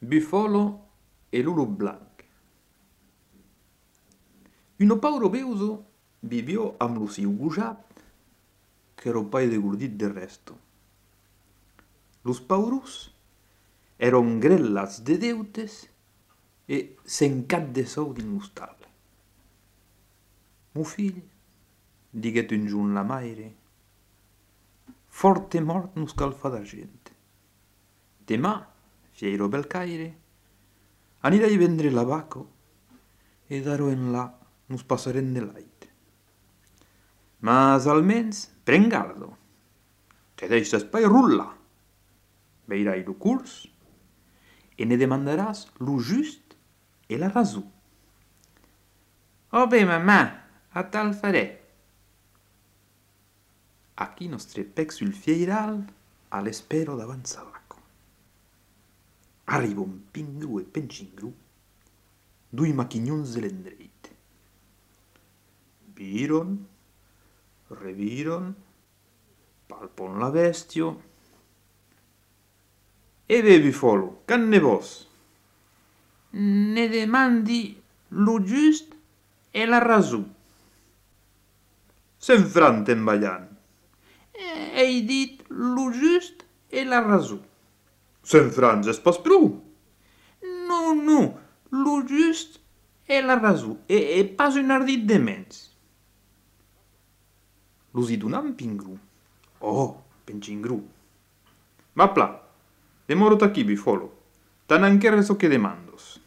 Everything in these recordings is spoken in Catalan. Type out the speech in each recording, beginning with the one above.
Bufolo e Lulu Blanc. Un pauro beuso vivió amb lo siu gujat, que era pai de gordit de resto. Los paurus eran grellas de deutes e s'encat de sou din lo stall. Mo fill, diguet un giorn la maire, forte mort non scalfa d'argent. Demà, fiero belcaire, anirai vendre l'abaco e daro en là nos passaren de lait. Mas almens, pren gardo, te deixes pai rulla, veirai lo curs e ne demandaràs lo just e la rasù. Oh bé, mamà, a tal faré. Aquí nostre pec sul fieiral a l'espero davant s'abaco. Arriva un pingru e pencingru, dui machignons de l'endreit. Viron, reviron, palpon la bestio. E ve Bufolo, canne vos? Ne demandi lo just e la rasù. S'enfranten ballant. Ei dit lo just e la rasù. S'enfranges pas prou. No, lo just e la rasù. E pas un ardit de mens. Los hi donam pingru. Oh, pencingru. Va pla, demorot aquí, Bufolo. Tan anche so che demandos.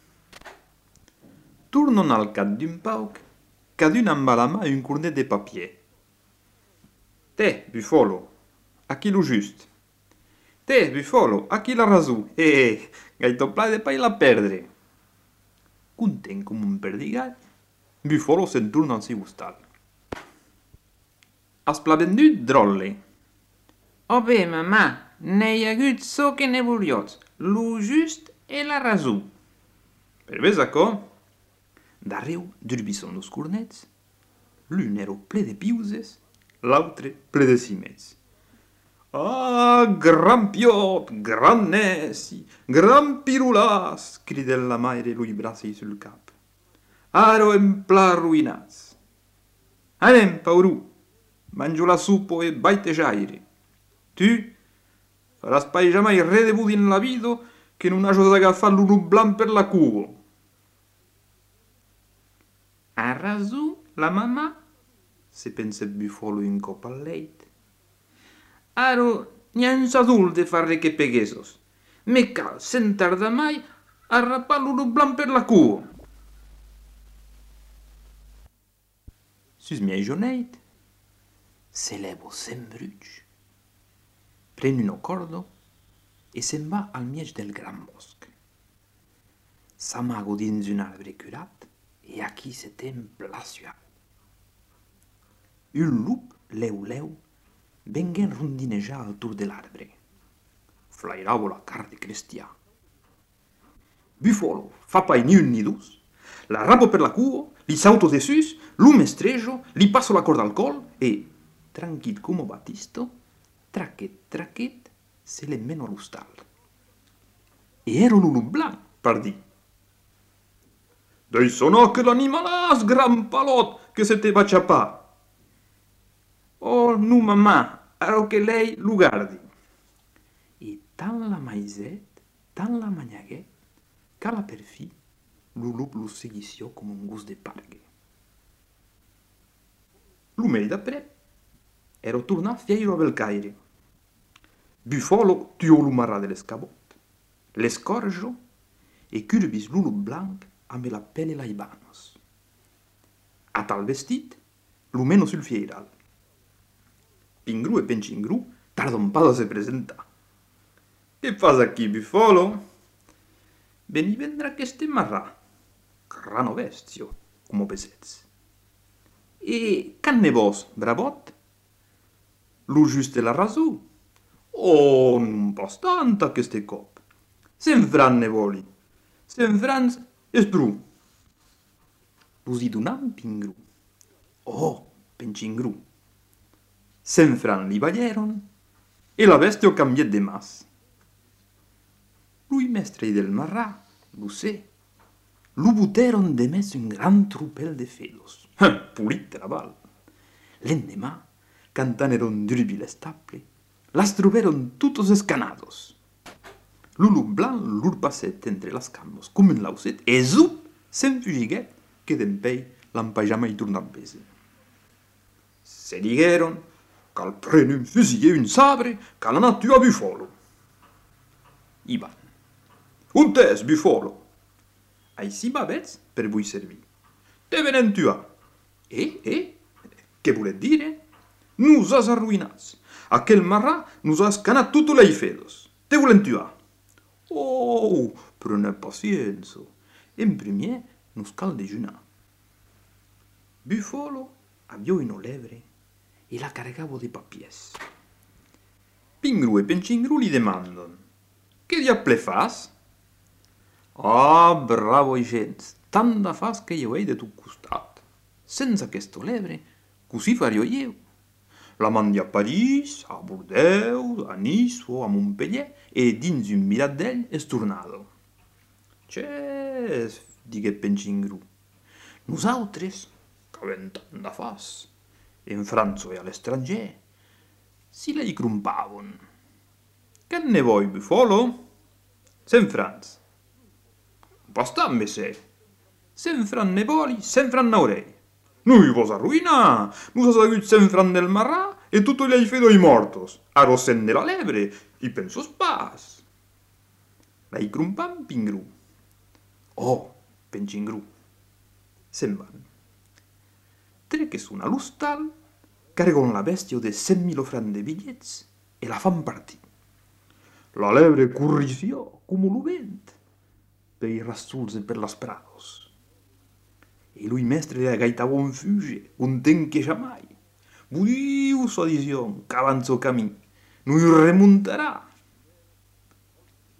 Turnon al cap d'un pauc, cadun amb a la mà un cornet de papier. Te, Bufolo, aquí lo just. Te, Bufolo, aquí la rasù. Gaito pla de pai la perdre. Content com un perdigat, Bufolo se'n torna al seu stall. Has pla vendut, drolle? Oh bé, mamà, n'hei hagut so que ne voliots. Lo just e la rasù. Per ves aco? Darreu durbisson los cornets. L'un ero ple de piuses, l'altre ple de cimets. Ah, gran piot, gran neci, gran pirulàs, cridèt la maire lui bracei sul cap. Aro en pla arruinats. Anem, paurù, mangio la supo e baitejaire. Tu faràs pai jamai re de budi in la vida che non hajo d'agafar l'unu blanc per la cuo. A rasù, la mamà, Se pensèt Bufolo un cop al leit. aro n'han adult de farre che peguesos. Me cal, sen tarda mai, a rapar lo blanc per la cuo. Sus miei joneit, se levo sen bruig, pren un cordo e se'n va al mieg del gran bosc. S'amago dins un arbre curat e aquí se templa suat. Un lup leu vengué rondinejar al tour de l'arbre. Flairavo la car de cristià. Bufolo fa pai ni un ni dus, la rapo per la cuo, li sauto de sus, lo mestrejo, li passo la corda al col e, tranquil come Battisto, traquet, se le meno allo stall. E ero l'ulu blanc, pardì. Dei sonò che l'animalàs, gran palot, che se te va ciapà. Oh, nu, mamà, aro che lei lo guardi. E tant la maizet, tant la manyaguet, cala per fi, lo lup lo seguició com un gust de pargue. Lo mei d'aprè, ero tornat fieiro a Belcaire. Bufolo tuò lo marrà de l'escabot, l'escorjo e curbis lo lup blanc amb la pelle laibanos. A tal vestit, lo meno sul fieiral. Pingru e pencingru tardon pas a se presentar. Che fas aquí, Bufolo? Veni vendre aqueste marrà, grano bestio, come pesets. E canne vos, bravot? Lo just la rasù? Oh, non pas tanta aqueste cop. S'enfran ne voli. S'enfrans esbru. Vos hi donam pingru. Oh, pencingru. S'enfran li balleron e la bestio cambiet de mas. Lui mestre del marrà, lo sé, lo buteron de mes un gran trupel de felos. Pulit la val. L'endemà, cantaneron drubi les tapli, las troberon tutos escanados. Lulu blanc lur passet entre las cambos, com un lauset, e zup, se'n fugiguet, que d'empei l'ampajama i torna a bese. Se digueron qu'al pren un fusil e un sabre, qu'al anat a Bufolo. I van. Un tes, Bufolo. Així babets per vull servir. Te venen tuar. Què volet dire? Nos has arruïnats. Aquel marrà nos ha escanat tutos les fedos. Te volen tuar. Oh, prenez pacienza. En primer nos cal dejunar. Bufolo avió una lebre e la cargavo de papiers. Pingru e Pencingru li demandan: «Què diable fas?» «Ah, bravo gens, tant de fas que jo hei de tu costat. Sense aquesta lebre, così fario io. La mandi a París, a Bordeus, a Nice o a Montpellier e dins un mirat d'ell és tornado». «Ches», digué Pencingru, «nosaltres, que avem tant de fas, en França e a l'estranger, si lei crumpavon. Che ne vuoi, Bufolo?» «Sen Franz». «Bastant, messer. Sen Fran ne voli, sen Fran n'aurei. Noi vos arruïnar, nos has agut sen Fran del marrà e tutto li hai fedo i mortos. Aro sen de la lebre, i pensos pas». L'hai crumpam Pingru. «Oh, Pencingru». Se'n van. Treques una l'hostal, cargon la bèstia de 100.000 francs de bitllets e la fan partir. La lebre corrició com lo vent per i rassulse per las prados. E lui mestre de la gaitavon fuge, content que jamai. Budiu sa dizion, qu'avanzo camí, no hi remuntarà.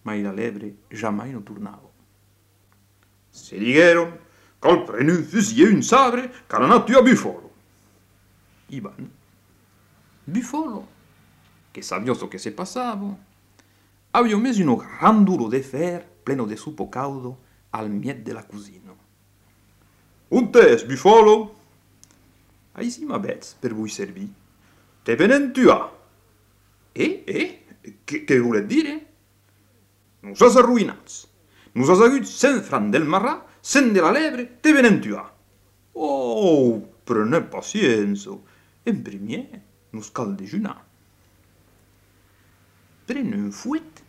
Ma la lebre jamai no tornava. Se digueron qu'al pren un fusil e un sabre, qu'han anat a Bufolo. I van. Bufolo, que sabioso que se passava, aveva messo uno gran duro de fer pleno de supo caudo al miet de la cusina. «Un tes, Bufolo?» «Així m'avets per vull servir. Te venen tuar». Què volet dire? «Nos has arruïnats. Nos has agut 100 francs del marrà, 100 de la lebre, te venen tuar». «Oh, prenez pacienza. En primer, nos cal dejunar». Pren un fuet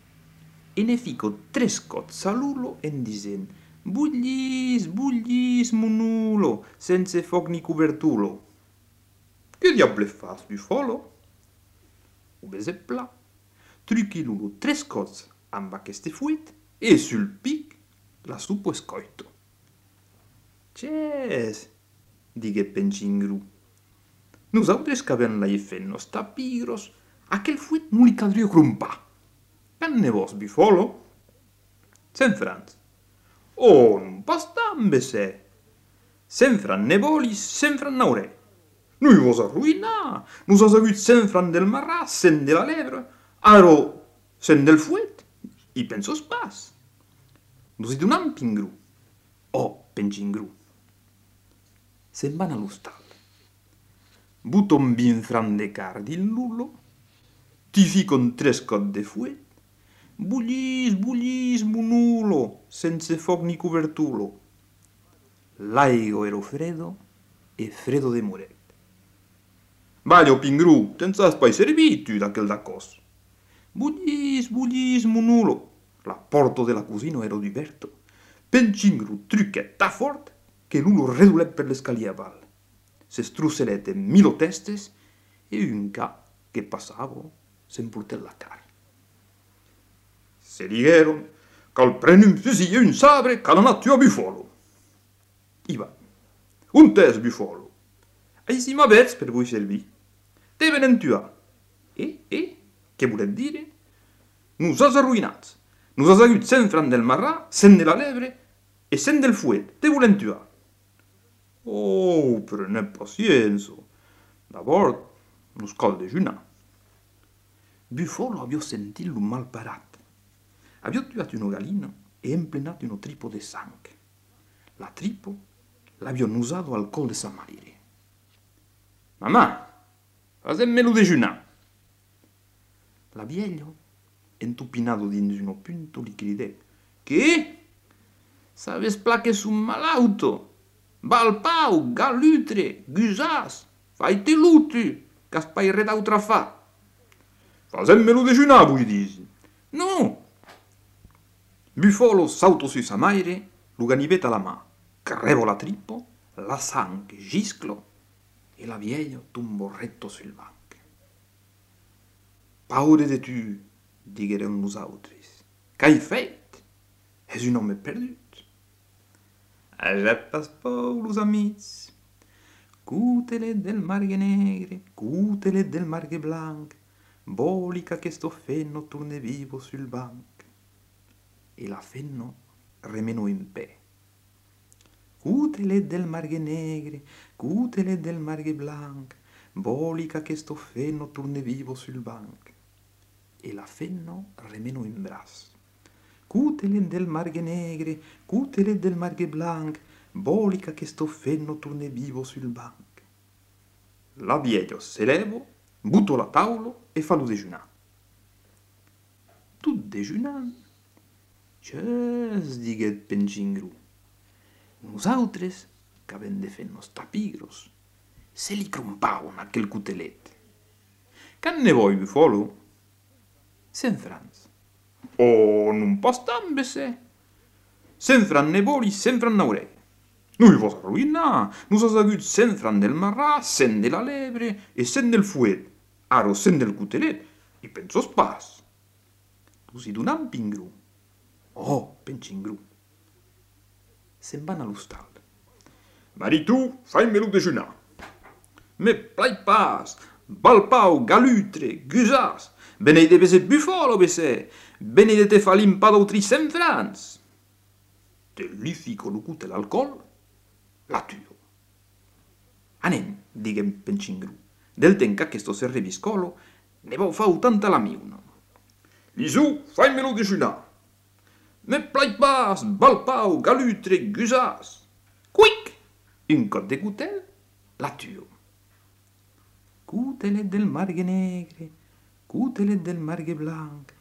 e ne fico 3 cots a l'ulo en dicent: «Bullis, bullis, monulo, sense foc ni cobertulo». «Che diable fas, Bufolo?» «Ho bese pla. Truqui l'ulo 3 cots amb aquest fuet e sul pic la supo escoito». «Ches», digué Pencingru, «nosaltres que avem la fet nos tapigros, aquel fuet no li caldria crumpar. Can ne vos, Bufolo?» «100 francs». «Oh, non bastant, messer. 100 francs ne voli, 100 francs n'aurei. Noi vos arruïnar. Nos has agut 100 francs del marrà, 100 de la lebre, aro 100 del fuet. I pensos pas». «Nos hi donam, Pingru». «Oh, Pencingru». Se'n van a l'hostal. Buton 20 francs de card in l'ulo, ti ficon 3 cots de fuet, bullis, bullis, monulo, sense foc ni cobertulo. L'aigua ero fredo e fredo de moret. «Vaglio, Pingru, te'n has pas servit tu d'aquel d'acos». «Bullis, bullis, monulo». La porta de la cusina ero diverto. Pencingru truquet ta fort que l'ulo redulet per l'escalier aval. S'estrucelet en 1000 testes e un cap que passava s'emportèt la cara. Se digueron qu'al pren un fusil e un sabre qu'han anat a Bufolo. I van. «Un tes, Bufolo. Així m'avets per vull servir. Te venen tuar». Què volet dire? «Nos has arruïnats. Nos has agut 100 francs del marrà, 100 de la lebre e 100 del fuet. Te volen tuar». «Oh, prenez pacienza. D'abord, nos cal dejunar». Bufolo avió sentit lo mal parat. Avio tuat uno galino e emplenat uno tripo de sang. La tripo l'avio usado al col de sa maire. Mamà, fasemmelo dejunar. La vieglio, entupinado dins uno punto, li cridè. Che? Saves plache su malauto. Balpau, galutre, gusas, faite lutu, caspai redautra fa. Fasemmelo dejunar, voi disi. No! Bufolo sauto su sa maire, lo ganivet a la mà, carrevo la trippo, la sang gisclo e la vieglio tumbò retto sul banco. Paure de tu, digueren los autris. Qu'hai fet? Es un home perdut. Ja pas pou, los amics. Cutelet del margue negre, cutelet del margue blanc, bolica che sto fenno turne vivo sul banc. E la fenno remenò in pe. Cutelet del margue negre, cutelet del margue blanc, bolica che sto fenno turne vivo sul banc. E la fenno remenò in bras. Cutelet del margue negre, cutelet del margue blanc, bolica che sto fenno turne vivo sul banc. La vieglio se levo, butto la taulo e fallo dejunar. Tut dejunant, Ches, diguet Pencingru. Nosaltres, qu'avem de fer nos tapigros, se li crompaun aquel cutelet. Can ne voi, Bufolo? 100 francs. Oh, non pas tant, bessè. 100 francs ne voli, 100 francs n'aurei. Noi vos arruïnar. Nos has agut 100 francs del marrà, 100 de la lebre e 100 del fuet. Aro 100 del cutelet. I pensos pas. Tu si donam Pingru. Oh, Pencingru. Se'n van a l'hostal. Maritu, faimelo dejunar. Me plai pas. Balpau, galutre, gusas. Benei de bese Bufolo, bese. Benei de te fa limpa d'autri 100 francs. Te li fico lo cutel al col, la tuo. Anem, diguem Pencingru. Del ten qu'aquesto se reviscolo, ne vau fau tanta la miuna. Lisu, faimelo dejunar. Me plai pas, balpau, galutre, gusas. Quic! Un cot de cutel, la tuo. Cutelet del margue negre, cutelet del margue blanc,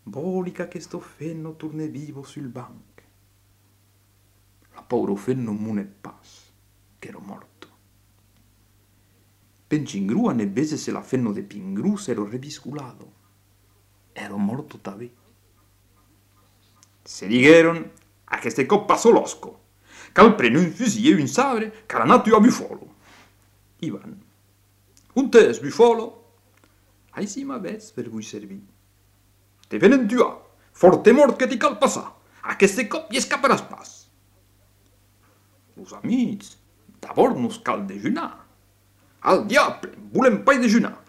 bolica che sto fenno turne vivo sul banc. La povero fenno mune pas, che ero morto. Pencingru a nebbese se la fenno de Pingru se ero revisculado. Ero morto tabè. Se digueron a che ste cop pasó l'osco, cal prene un fusil e un sabre, cal anatu a Bufolo. Ivan. Un tes, Bufolo? Ai si m'avets per vui servir. Te venen tuar, forte mort que ti cal passar, a che ste cop i escaparàs pas. Los amics, d'abord nos cal dejunar. Al diable, volem pas dejunar.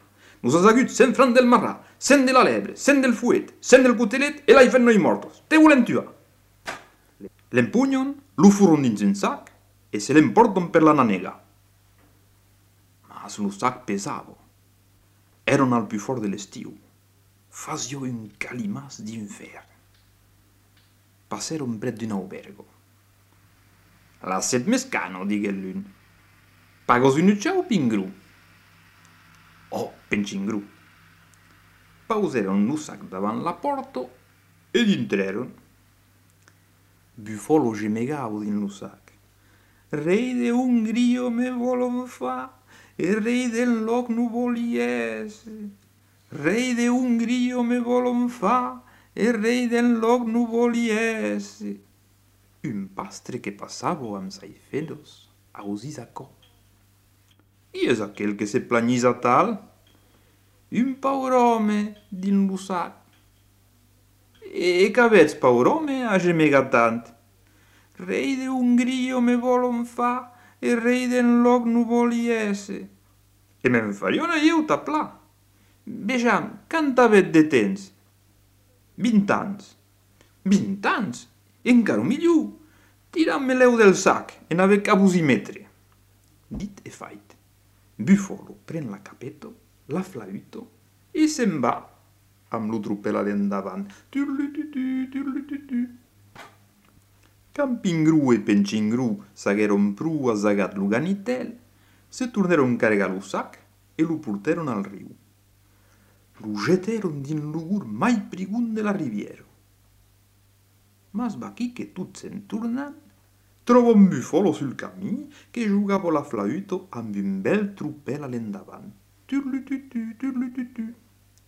Nos has agut 100 francs del marrà, 100 de la lebre, 100 del fuet, 100 del cutelet e l'hai fet noi mortos. Te volem tuar. L'empugnon, lo furon dins un sac e se l'emporton per la nanega. Mas lo sac pesavo. Eron al più fort de l'estiu. Fasio un calimàs d'infern. Passeron pret d'un albergo. Lasset mescano, digué l'un. Pagos un ucciau, Pingru? Oh, Pencingru. Pauseron lo sac davant la porta ed intreron. Bufolo gemegavo din lo sac. Rei de Ungrio me volon fa, e rei del loc nu voliese. Rei de Ungrio me volon fa, e rei del loc nu voliese. Un pastre que passavo amb sai fedos, ausis aquò. I és aquel que se planyisa tal? Un paur home din lo sac. E qu'avets, paur home, a gemegar tant? Rei de Ungrio me volon fa, e rei del loc nu voliese. E me'n fariona eu taplà. Vejam, quant avet de temps? 20 anys. 20 anys? Encara millor. Tiram-me-leu del sac, e n'ave cabus i metre. Dit e fait. Bufolo pren la capeto, la flauto, e se'n va. amb lo trupel a l'endavant. Turlututu, turlututu. Campingru e Pencingru s'agueron pru a zagat lo ganitel, se torneron cargar lo sac e lo porteron al riu. Lo jeteron din lo gur mai prigun de la riviera. Mas baquí che tut se'n tornant, trova un bufolo sul camí che giugava la flauto amb un bel trupel a l'endavant. Turlututu, turlututu.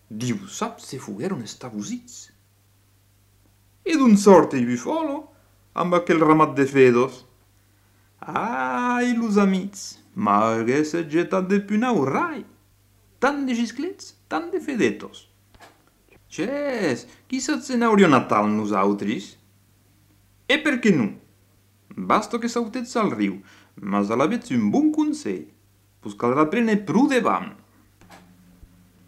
Diu sap se fugueron estabusits. E d'un sorte i bufolo amb aquel ramat de fedos. Ai, los amics, m'hagués getat de puna au rai. Tant de gisclets, tant de fedetos. Ches, chi se n'hauria natal nosaltres? E perché non? Basta che sautezza al riu, ma se l'avete un buon consell, pues caldrà prene pru devant.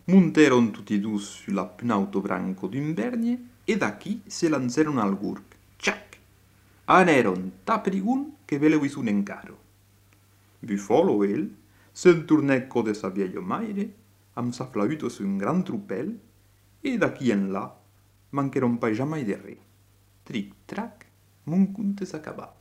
Monteron tutti due sulla punauto branco d'un vergne e da chi se lanzaron al gurg. Ciac! Aneron ta prigun che veleu un encaro. Bufolo el se'n tornecco de sa vieglio maire, amb sa flauto su un gran trupel, e da qui en là mancheron pas jamais de re. Tric-trac, mon conte s'acaba.